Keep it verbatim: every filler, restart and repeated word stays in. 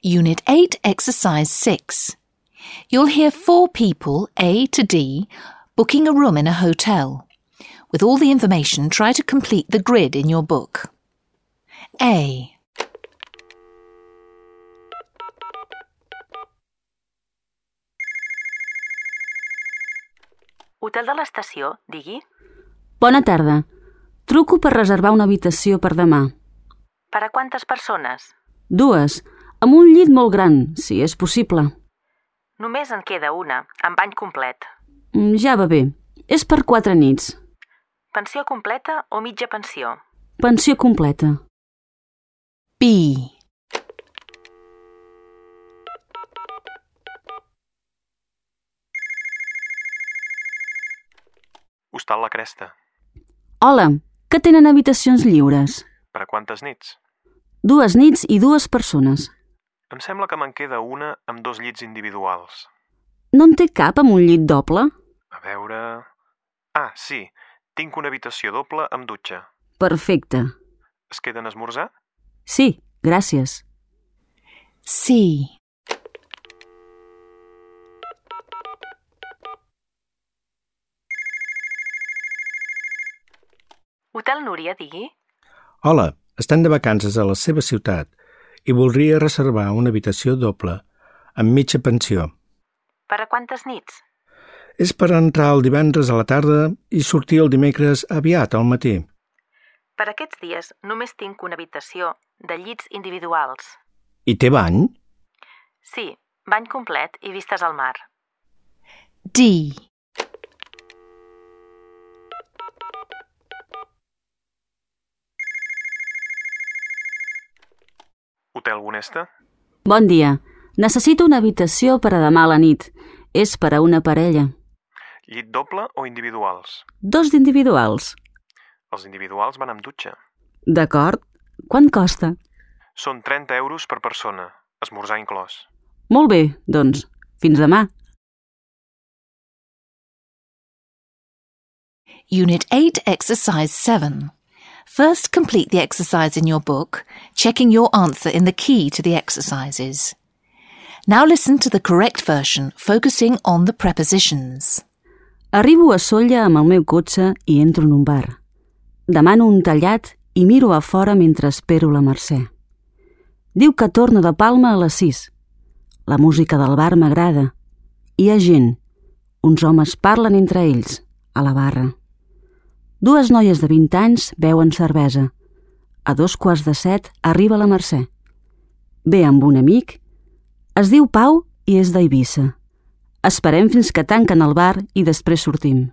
Unit eight, Exercise six. You'll hear four people, A to D, booking a room in a hotel. With all the information, try to complete the grid in your book. A. Hotel de l'estació, digui. Bona tarda. Truco per reservar una habitació per demà. Per a quantes persones? Dues, amb un llit molt gran, si és possible. Només en queda una, amb bany complet. Ja va bé. És per quatre nits. Pensió completa o mitja pensió? Pensió completa. B. Hostal La Cresta. Hola, que tenen habitacions lliures? Per a quantes nits? Dues nits i dues persones. Em sembla que me'n queda una amb dos llits individuals. No en té cap amb un llit doble? A veure... Ah, sí. Tinc una habitació doble amb dutxa. Perfecte. Es queden a esmorzar? Sí, gràcies. C. Hotel Núria, digui. Hola, estan de vacances a la seva ciutat i voldria reservar una habitació doble amb mitja pensió. Per a quantes nits? És per entrar el divendres a la tarda i sortir el dimecres aviat al matí. Per aquests dies només tinc una habitació de llits individuals. I té bany? Sí, bany complet i vistes al mar. D. Hotel Bonesta? Bon dia. Necessito una habitació per a demà a la nit. És per a una parella. Llit doble o individuals? Dos d'individuals. Els individuals van amb dutxa. D'acord. Quant costa? Són trenta euros per persona, esmorzar inclòs. Molt bé, doncs. Fins demà. Unit eight, Exercise seven. First, complete the exercise in your book, checking your answer in the key to the exercises. Now listen to the correct version, focusing on the prepositions. Arribo a Sóller amb el meu cotxe i entro en un bar. Demano un tallat i miro a fora mentre espero la Mercè. Diu que torno de Palma a les sis. La música del bar m'agrada. Hi ha gent. Uns homes parlen entre ells, a la barra. Dues noies de vint anys beuen cervesa. A dos quarts de set arriba la Mercè. Ve amb un amic. Es diu Pau i és d'Eivissa. Esperem fins que tanquen el bar i després sortim.